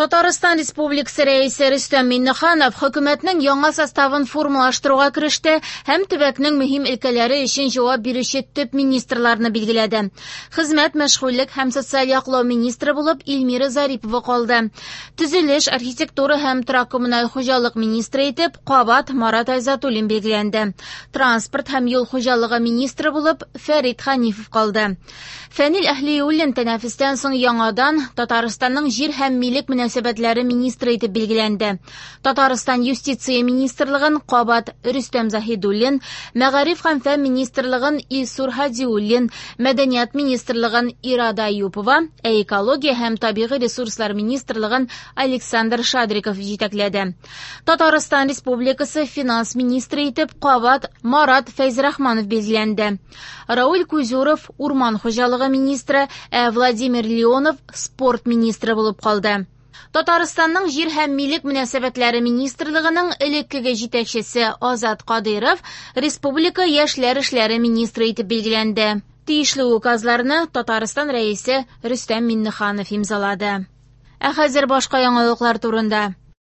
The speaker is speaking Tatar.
Татарстан Республикасы Рәисе Рөстәм Миңнеханов хөкүмәтнең яңа составын формалаштыруга кереште һәм төбәкнең мөһим өлкәләре өчен җавап бирүче төп министрларны билгеләде. Хезмәт, мәшгульлек һәм социаль яклау министры булып Эльмира Зарипова калды. Төзелеш, архитектура һәм торак-коммуналь хуҗалык министры итеп кабат Марат Айзатуллин билгеләнде. Транспорт һәм юл хуҗалыгы министры булып Фәрит Ханифов калды. Фәнил Әһлиуллин тәнәфестән соң яңадан Татарстанның җир һәм милек мөнәсәбәтләре министры итеп билгеләнде. Татарстан юстиция министрлыгын кабат Рөстәм Заһидуллин, мәгариф һәм фән министрлыгын Илсур Һадиуллин, мәдәният министрлыгын Ирада Аюпова, ә экология һәм табигый ресурслар министрлыгын Александр Шадриков җитәкләде. Татарстан Республикасы финанс министры итеп кабат Марат Фәйзрахманов билгеләнде. Рауль Кузюров урман хуҗалыгы министры, ә Владимир Леонов спорт министры булып калды. Татарстанның җир һәм милек мөнәсәбәтләре министрлыгының элеккеге җитәкчесе Азат Кадыйров республика яшьләр эшләре министры итеп билгеләнде. Тиешле указларны Татарстан Рәисе Рөстәм Миңнеханов имзалады. Ә хәзер башка яңалыклар турында.